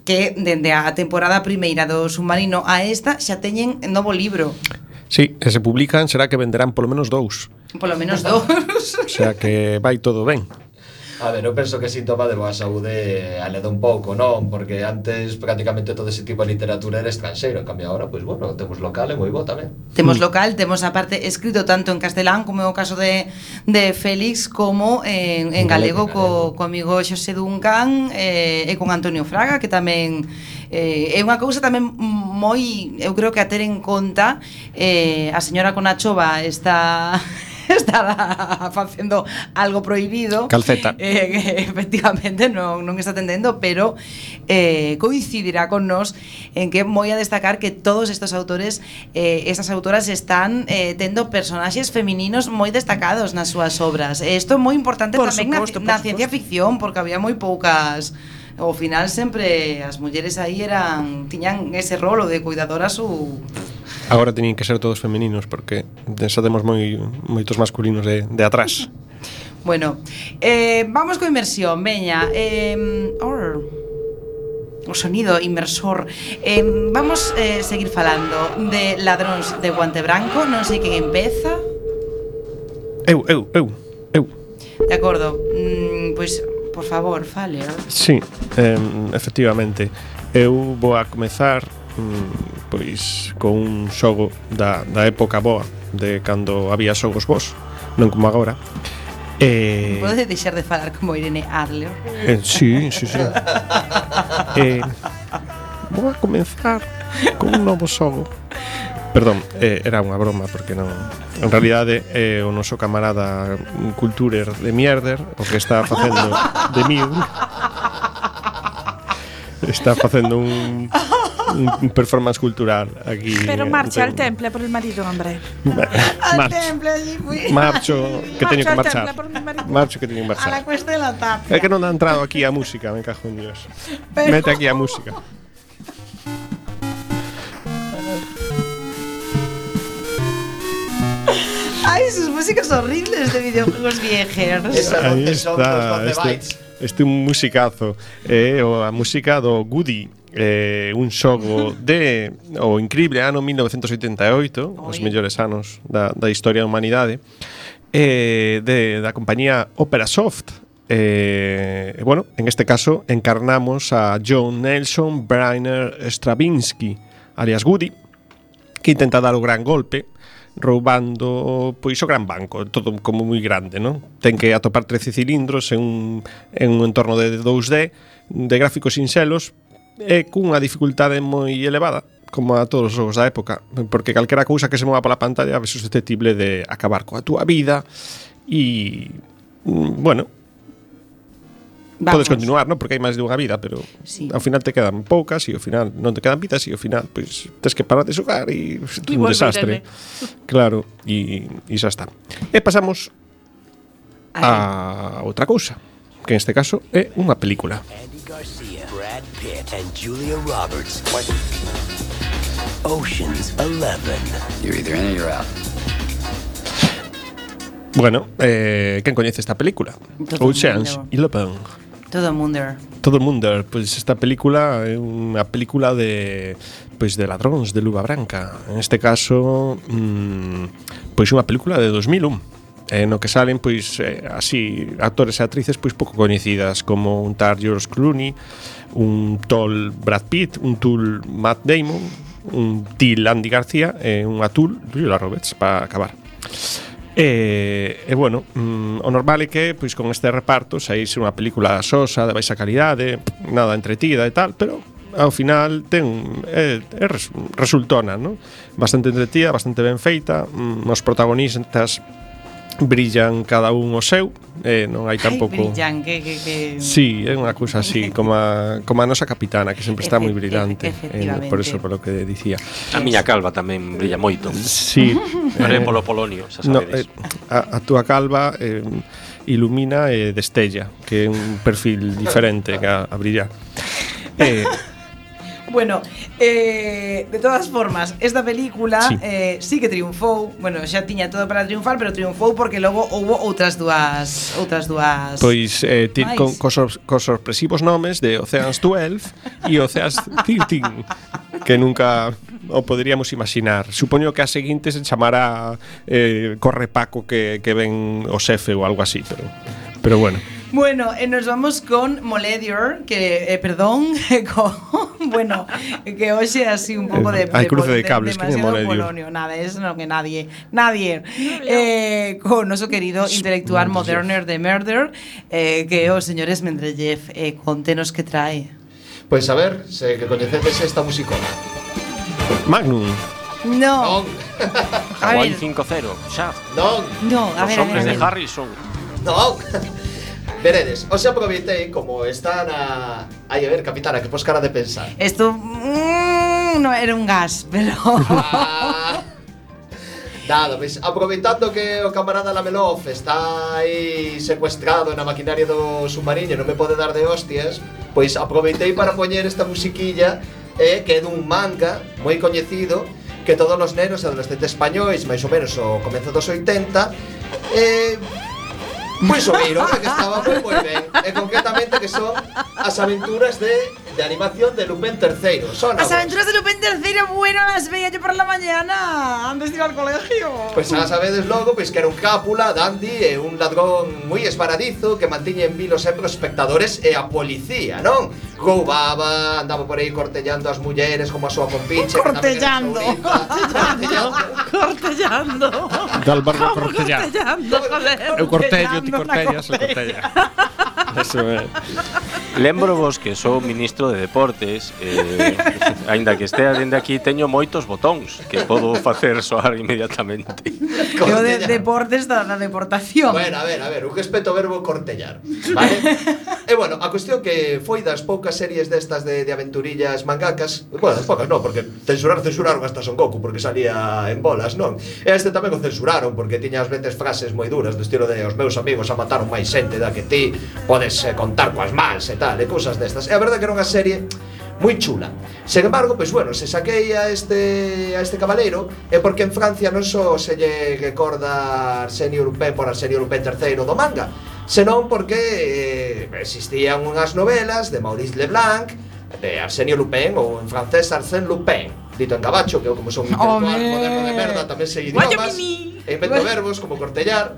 que dende a temporada primeira do Submarino a esta xa teñen novo libro. Sí, e se publican será que venderán polo menos 2. Polo menos 2. O sea que vai todo ben. A ver, eu penso que síntoma de boa saúde aleda un pouco, non? Porque antes prácticamente todo ese tipo de literatura era estranxeiro, en cambio agora, pois bueno, temos local e moi bo tamén. Temos local, temos aparte escrito tanto en castelán como é o caso de Félix, como en galego co amigo Xosé Duncan e con Antonio Fraga, que tamén é unha cousa tamén moi, eu creo que a ter en conta. A señora Conachova está facendo algo prohibido, calceta, efectivamente non está atendendo, pero coincidirá con nos en que moi a destacar que todos estos autores, estas autoras están tendo personaxes femininos moi destacados nas súas obras. Isto é moi importante por tamén na ciencia ficción, porque había moi poucas. Ao final sempre as mulleres aí tiñan ese rolo de cuidadoras ou... Agora teñen que ser todos femininos, porque xa temos moitos masculinos de atrás. Bueno, vamos co inmersión, veña. O sonido inmersor. Vamos seguir falando de Ladróns de Guante Branco. Non sei quen empeza. Eu. De acordo, pois... Por favor, fale. Sí, efectivamente. Eu vou a comezar pois con un xogo da época boa, de cando había xogos bons, non como agora. Pode deixar de falar como Irene Adler? Sí. Vou a comezar con un novo xogo. Perdón, era unha broma, porque non. En realidade é o noso camarada Culturer de Mierder o que está facendo de Mew. Está facendo un performance cultural aquí. Pero marcha al temple por el marido, hombre. Al temple allí fui. Marcho, que teño que marchar. Marcho que teño que marchar. A la cuesta de la tapia. É que non ha entrado aquí a música, me cajo en Dios. Mete aquí a música. Ay, sus músicas horribles de videojuegos viejos. Esa Aí noche son dos está, 12 bytes. este un musicazo, a música do Goody, un xogo de o increíble ano 1988, os mellores anos da historia da humanidade, da compañía Operasoft. Bueno, en este caso encarnamos a John Nelson Bryner Stravinsky, alias Goody, que intenta dar o gran golpe roubando pois o gran banco, todo como moi grande, non? Ten que atopar 13 cilindros en un entorno de 2D, de gráficos sinxelos e cunha dificultade moi elevada, como a todos os xogos da época, porque calquera cousa que se mova pola pantalla é susceptible de acabar coa túa vida e bueno, podes continuar, non? Porque hai máis de unha vida, pero sí, ao final te quedan poucas e ao final non te quedan vidas e ao final pois tes que parar de xogar e un desastre. Claro, e xa está. E pasamos a outra cousa, que en este caso é unha película. Andy Garcia, Brad Pitt and Julia Roberts. Ocean's 11. You're either in or you're out. Bueno, quen coñece esta película? Ocean's 11. Todo o mundo. Todo o mundo, pois esta película é unha película de ladróns de luva branca. En este caso, pois unha película de 2001. No que salen pois así actores e actrices pois pouco coñecidas, como un tal George Clooney, un tal Brad Pitt, un tal Matt Damon, un til Andy García e un atul Julia Roberts para acabar. E bueno, o normal é que pois con este reparto saíse unha película sosa, de baixa calidade, nada entretida e tal, pero ao final resultona, non? Bastante entretida, bastante ben feita, os protagonistas brillan cada un o seu, non hai tampouco. Brillan, que Sí, é unha cousa así, como a nosa capitana, que sempre está moi brillante, por eso, polo que dicía. A miña calva tamén brilla moito. Sí, polo Polonio, xa sabedes. A túa calva ilumina e destella, que é un perfil diferente que a brillar. Bueno, de todas formas, esta película sí que triunfou. Bueno, xa tiña todo para triunfar, pero triunfou porque logo houbo outras dúas. Pois cos sorpresivos nomes de Ocean's 12 e Ocean's 13, que nunca o poderíamos imaginar. Supoño que a seguinte se chamará Corre Paco que ven o xefe ou algo así, pero bueno. Bueno, nos vamos con Moledior, que, perdón, bueno, que hoxe así un pouco de... Hai cruce de cables, que é Moledior? Polonio, nada, eso no que nadie. Con noso querido intelectual Moderner de Murder, que é o señor Esmendrellev. Contenos que trae. Pois a ver, se que coñecedes esta musicona. Magnum. No. Hawaii 5-0, Shaft. No, a ver. Os hombres de Harrison. No. Veredes, os aproveitei como están aí a ver, capitana, que pos cara de pensar. Esto no era un gas, pero nada, pois aproveitando que o camarada Lamelov está aí secuestrado na maquinaria do submarino, non me pode dar de hostias, pois aproveitei para poñer esta musiquilla que é dun manga moi coñecido que todos os nenos e adolescentes españois, máis ou menos o comezo dos 80, pois o viron, que estaba moi ben. E concretamente que son as aventuras de animación de Lupin III. As aventuras de Lupin III, bueno, las veía yo por la mañana antes de ir al colegio. Pois xa sabedes logo, pois que era un cápula, dandy e un ladrón moi esparadizo que mantiña en vilo sempre os espectadores e a policía, non? Roubaba, andaba por aí cortellando as mulleres como a súa compinche. Cortellando. Dal barrio cortellando. Eu cortello, ti cortellas, eu cortella. Eso é. Lembro vos que sou ministro de Deportes, aínda que estea dende aquí, teño moitos botóns que podo facer soar inmediatamente. Eu de deportes da deportación. Bueno, a ver, un respeto ao verbo cortellar, vale? E bueno, a cuestión que foi das poucas series destas de aventurillas mangakas, bueno, poucas non, porque censuraron hasta Son Goku porque salía en bolas, non? E este tamén o censuraron porque tiña ás veces frases moi duras do estilo de os meus amigos a mataron máis xente da que ti, podes contar coas mans e tal, e cousas destas. E a verdade que era unha serie moi chula. Sen embargo, pois bueno, se saquei a este cabaleiro é porque en Francia non só se lle recorda Arsenio Lupin por Arsenio Lupin III do manga, senón porque existían unhas novelas de Maurice Leblanc, de Arsenio Lupin, ou en francés Arsène Lupin, dito en gabacho, que eu como son un intelectual moderno de merda, tamén sei idiomas, e invento verbos como cortellar.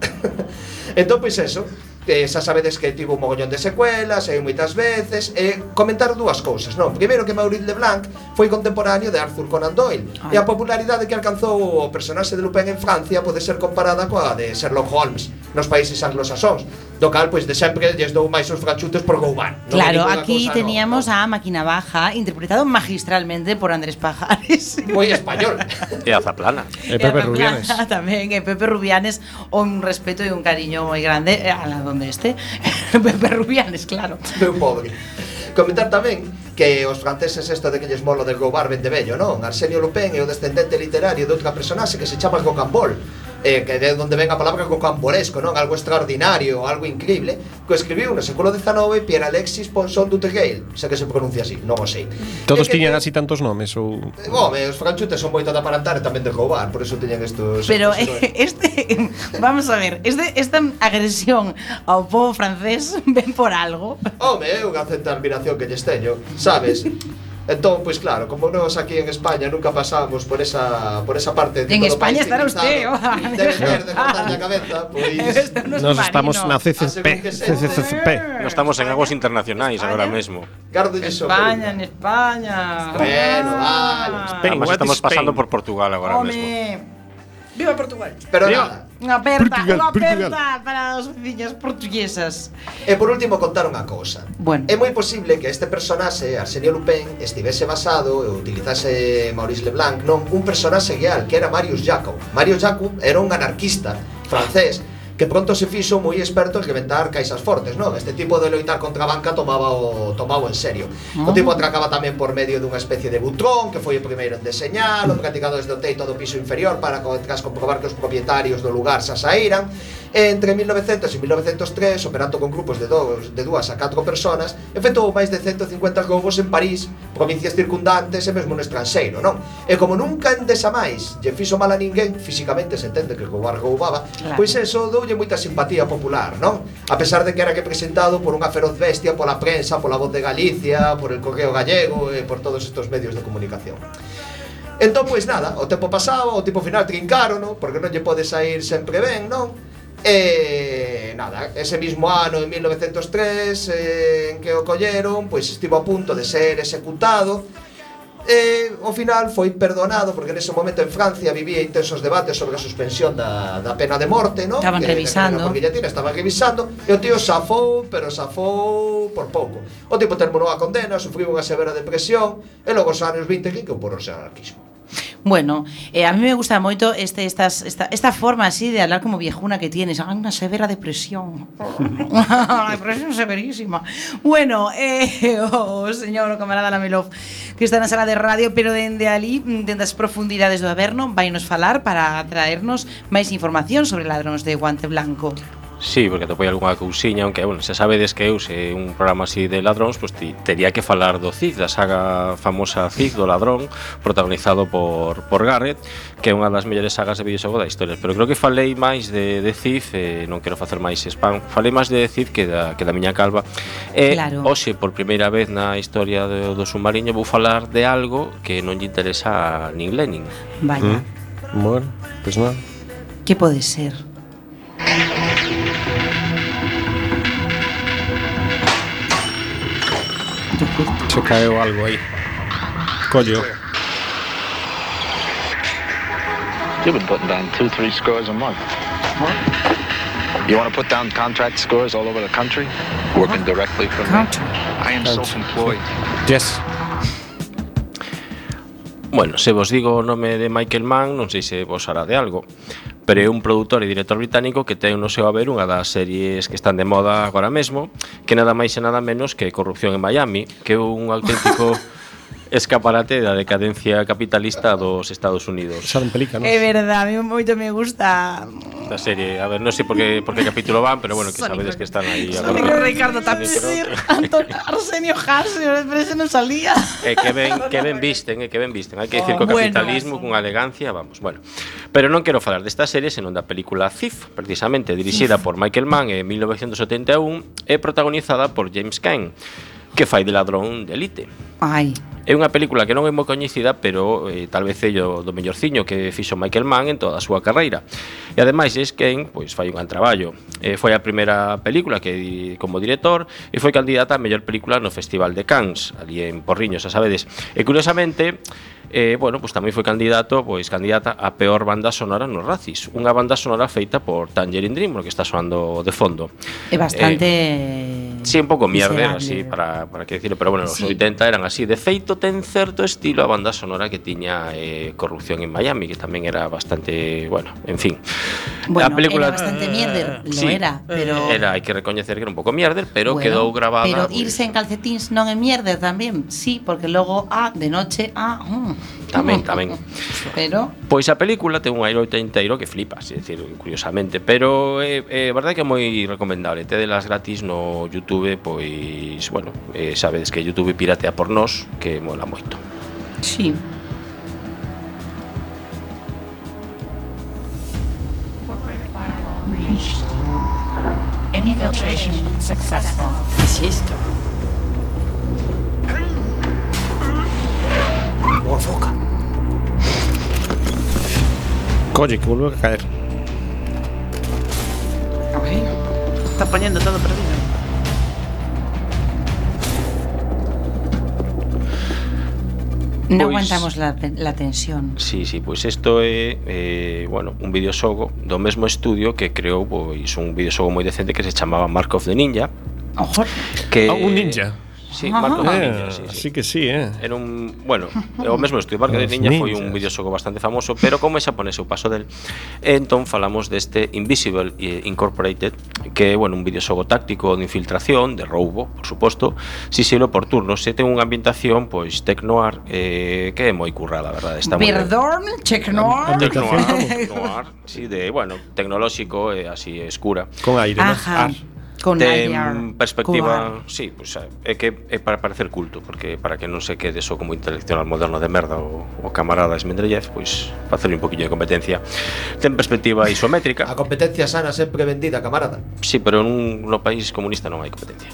Entón, pois eso, xa sabedes que tivo un mogollón de secuelas, e moitas veces, e comentar dúas cousas, non? Primeiro que Maurice Leblanc foi contemporáneo de Arthur Conan Doyle, e a popularidade que alcanzou o personaxe de Lupin en Francia pode ser comparada coa de Sherlock Holmes nos países anglosaxóns, do cal, pois, de sempre lles dou máis os franchutes por Gouban. Claro, aquí teníamos a Máquina Baja, interpretado magistralmente por Andrés Pajares. Moi español. E a Zaplana. E Pepe Rubianes. Tamén, e Pepe Rubianes, un respeto e un cariño moi grande a la donde este. Pepe Rubianes, claro. Meu pobre. Comentar tamén que os franceses isto de que lles molo del Goubar ben de vello, non? Arsenio Lupin é o descendente literario de outra personaxe que se chama Rocambole, que de onde ven a palabra rocambolesco, non? Algo extraordinario, algo increíble, que escribiu no século XIX Pierre Alexis Ponson du Tereil, sei que se pronuncia así, non o sei. Todos tiñan así tantos nomes ou Home, os franchutes son moito de aparentar e tamén de roubar, por eso teñen estos. Pero vamos a ver, esta agresión ao povo francés ven por algo. Home, é unha certa admiración que lles teño, sabes? Entón, pois claro, como nós aquí en España nunca pasamos por esa parte de en España estará usted, debe ser de cortarlle a cabeza, pois nos estamos na CCCP. Nos estamos en aguas internacionais agora mesmo. Gardolle España, en España. Bueno, vale. Además estamos pasando por Portugal agora mesmo. Viva Portugal. Pero nada. Unha aperta para as veciñas portuguesas. E por último contar unha cousa. Bueno. É moi posible que este personaxe, Arsenio Lupin, estivese basado e utilizase Maurice Leblanc non un personaxe real, que era Marius Jacob. Marius Jacob era un anarquista francés que pronto se fixo moi experto en reventar caixas fortes, non? Este tipo de loitar contra a banca tomaba en serio. O tipo atracaba tamén por medio dunha especie de butrón, que foi o primeiro en deseñalo, practicado desde o teito do piso inferior para tras comprobar que os propietarios do lugar xa saíran. Entre 1900 e 1903, operando con grupos de 2 a 4 personas, efectuou máis de 150 roubos en París, provincias circundantes e mesmo no estranxeiro, non? E como nunca endesa máis lle fixo mal a ninguén, físicamente se entende que roubaba, claro. Pois eso doulle moita simpatía popular, non? A pesar de que era representado por unha feroz bestia pola prensa, pola Voz de Galicia, por el Correo Gallego e por todos estos medios de comunicación. Entón, pois nada, o tempo pasaba, o tipo final trincarono, porque non lle pode sair sempre ben, non? E nada, ese mismo ano, en 1903, en que o colleron, pois estivo a punto de ser executado. E ao final foi perdonado, porque nese momento en Francia vivía intensos debates sobre a suspensión da pena de morte, non? Estaban revisando. Porque estaban revisando, e o tío safou, pero safou por pouco. O tipo terminou a condena, sufriu unha severa depresión, e logo os anos 20 que incorporou ao anarquismo. Bueno, a mí me gusta moito esta forma así de hablar como viejuna que tienes. Hay una severa depresión. Una depresión severísima. Bueno, o señor o camarada Lamelov, que está na sala de radio, pero dende ali, dende as profundidades do Averno, vai nos falar para traernos máis información sobre Ladróns de Guante Blanco. Sí, porque atopei algunha cousiña, aunque, bueno, se sabedes que eu, se un programa así de ladróns, pues tería que falar do Cid, da saga famosa Cid, do ladrón, protagonizado por Garrett, que é unha das mellores sagas de videoxogo da historia. Pero creo que falei máis de Cid, non quero facer máis spam, falei máis de Cid que da miña calva. Claro. Hoxe, por primeira vez na historia do submarino, vou falar de algo que non lle interesa a nin Lenin. Vaya. Bueno, pues nada. Que pode ser? Se caeu algo aí. Collo. You've been putting down 2-3 scores a month. You want to put down contract scores all over the country, working directly for me? I am self-employed. Yes. Bueno, se vos digo o nome de Michael Mann, non sei se vos hará de algo, pero é un produtor e director británico que ten no seu haber unha das series que están de moda agora mesmo, que nada máis e nada menos que Corrupción en Miami, que é un auténtico escaparate da decadencia capitalista dos Estados Unidos. Xa non pelícanos. É verdade, a mí moito me gusta esta serie. A ver, non sei por que capítulo van, pero bueno, que sabedes que están aí agora. Ricardo Tapsir, Arsenio Harsio, pero ese non salía. Que ben visten. Hai que dicir que o capitalismo cunha elegancia, vamos, bueno. Pero non quero falar desta serie, senón da película Thief, precisamente dirixida por Michael Mann en 1971 e protagonizada por James Caan, que fai de ladrón de elite. Ai. É unha película que non é moi coñecida, pero tal vez é do mellorciño que fixo Michael Mann en toda a súa carreira. E ademais James Caan pois fai un gran traballo. Foi a primeira película que como director e foi candidata a mellor película no Festival de Cannes, ali en Porriños, xa sabedes. E curiosamente, bueno, pues tamén foi candidata a peor banda sonora nos Razzies, unha banda sonora feita por Tangerine Dream, que está soando de fondo. É bastante sí, un pouco mierder, así, para que decirlo, pero bueno, os 80 eran así. De feito, ten certo estilo a banda sonora que tiña Corrupción en Miami, que tamén era bastante, bueno, en fin. Bueno, a película era bastante mierder, sí, era, pero hai que recoñecer que era un pouco mierder, pero bueno, quedou grabada. Pero irse en calcetíns non é mierder tamén, sí, porque logo de noche tamén. Pero pois a película ten un aire oitenteiro que flipas, é dicir, curiosamente, pero é verdade que é moi recomendable. Tedelas gratis no YouTube, pois, bueno, sabedes que YouTube piratea por nós, que mola moito. Sí. Infiltration successful. ¿Qué es esto? Foca. Colle, que vuelve a caer. Está poniendo todo perdido. No aguantamos la tensión. Sí, pois isto é bueno, un videoxogo do mesmo estudio que creou pois un videoxogo moi decente que se chamaba Mark of the Ninja. Ojo. Que un ninja. Sí, Mark of the Ninja, sí. Así que sí, Era un, bueno, o mesmo estudio, Mark of the Ninja foi un videoxogo bastante famoso, pero como é xaponés eu paso del. Entón falamos deste Invisible Incorporated, que é, bueno, un videoxogo táctico de infiltración, de roubo, por suposto, silo por turnos, e ten unha ambientación pois tecnoar que é moi currada, a verdade, está moi Perdón, tecnoar. Tecnoar, sí, de, bueno, tecnolóxico e así escura. Con aire, ¿no? Con ten perspectiva, sí, pues, é que é para parecer culto, porque para que non se quede só como intelectual moderno de merda o camarada Esmendrellev, pois facerle un poquillo de competencia. Ten perspectiva isométrica. A competencia sana sempre vendida, camarada. Sí, pero no país comunista non hai competencia.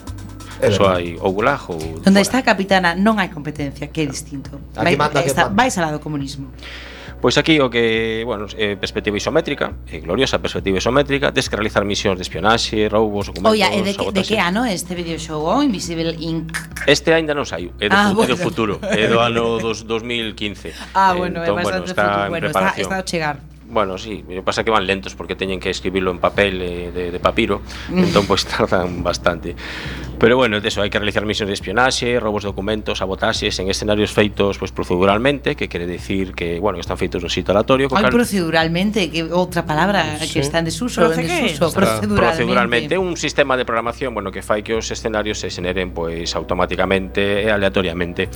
Só hai ou gulag ou Donde está a capitana non hai competencia, que é distinto. Vais ao lado do comunismo. Pois aquí o que, bueno, perspectiva isométrica, gloriosa perspectiva isométrica, tes que realizar misións de espionaxe, roubos, documentos. Oia, de que ano este videoxogo Invisible Inc? Este aínda non saiu, é do futuro, é do ano 2015. Bueno, é bastante futuro, bueno, está a chegar. Bueno, sí, o que pasa que van lentos porque teñen que escribirlo en papel de papiro, entón pois tardan bastante. Pero bueno, eso, hai que realizar misións de espionaxe, robos de documentos, sabotaxes en escenarios feitos pois proceduralmente, que quere decir que, bueno, que están feitos no sitio aleatorio. Proceduralmente, que outra palabra que está en desuso, proceduralmente, un sistema de programación, bueno, que fai que os escenarios se xeneren pois automáticamente e aleatoriamente.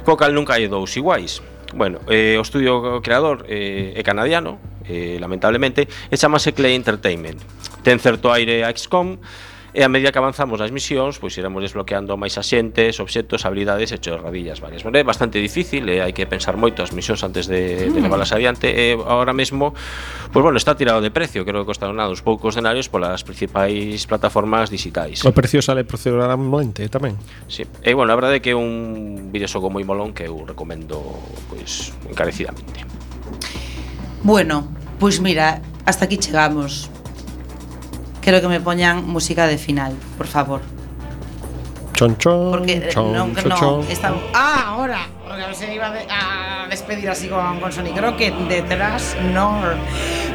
Co cal nunca hai dous iguais. Bueno, o estudio creador é canadiano, lamentablemente, e chamase Clay Entertainment. Ten certo aire a XCOM, e a medida que avanzamos nas misións, pois iremos desbloqueando máis axentes, obxectos, habilidades e chorradillas varias. Bueno, é bastante difícil, hai que pensar moito as misións antes de levalas adiante, e agora mesmo, pois bueno, está tirado de precio, creo que costaron nada uns poucos denarios polas principais plataformas digitais. O precio sale proceduralmente tamén. Sí, e bueno, a verdade é que é un videoxogo moi molón que eu recomendo pois encarecidamente. Bueno, pois mira, hasta aquí chegamos. Quero que me poñan música de final, por favor. Chon chon. Porque chon, no está. Ahora. Porque se iba a despedir así con Sonic. Creo que detrás no.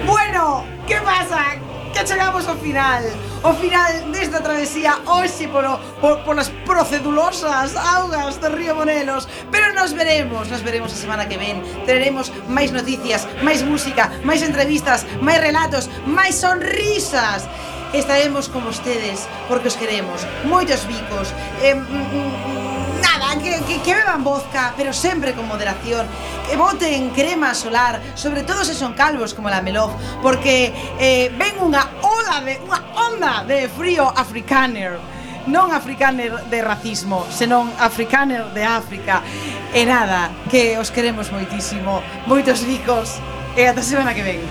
Bueno, ¿qué pasa? Que chegamos ao final. O final desta travesía hoxe por las procedulosas augas do río Monelos. Pero nos veremos a semana que ven. Teremos máis noticias, máis música, máis entrevistas, máis relatos, máis sonrisas. Estaremos con ustedes porque os queremos. Moitos bicos. Nada, que que beban vodka, pero sempre con moderación. Que boten crema solar, sobre todo se son calvos como la Melov, porque ven unha onda de frío africaner. Non africaner de racismo, senón africaner de África. E nada, que os queremos moitísimo. Moitos ricos. E ata semana que ven.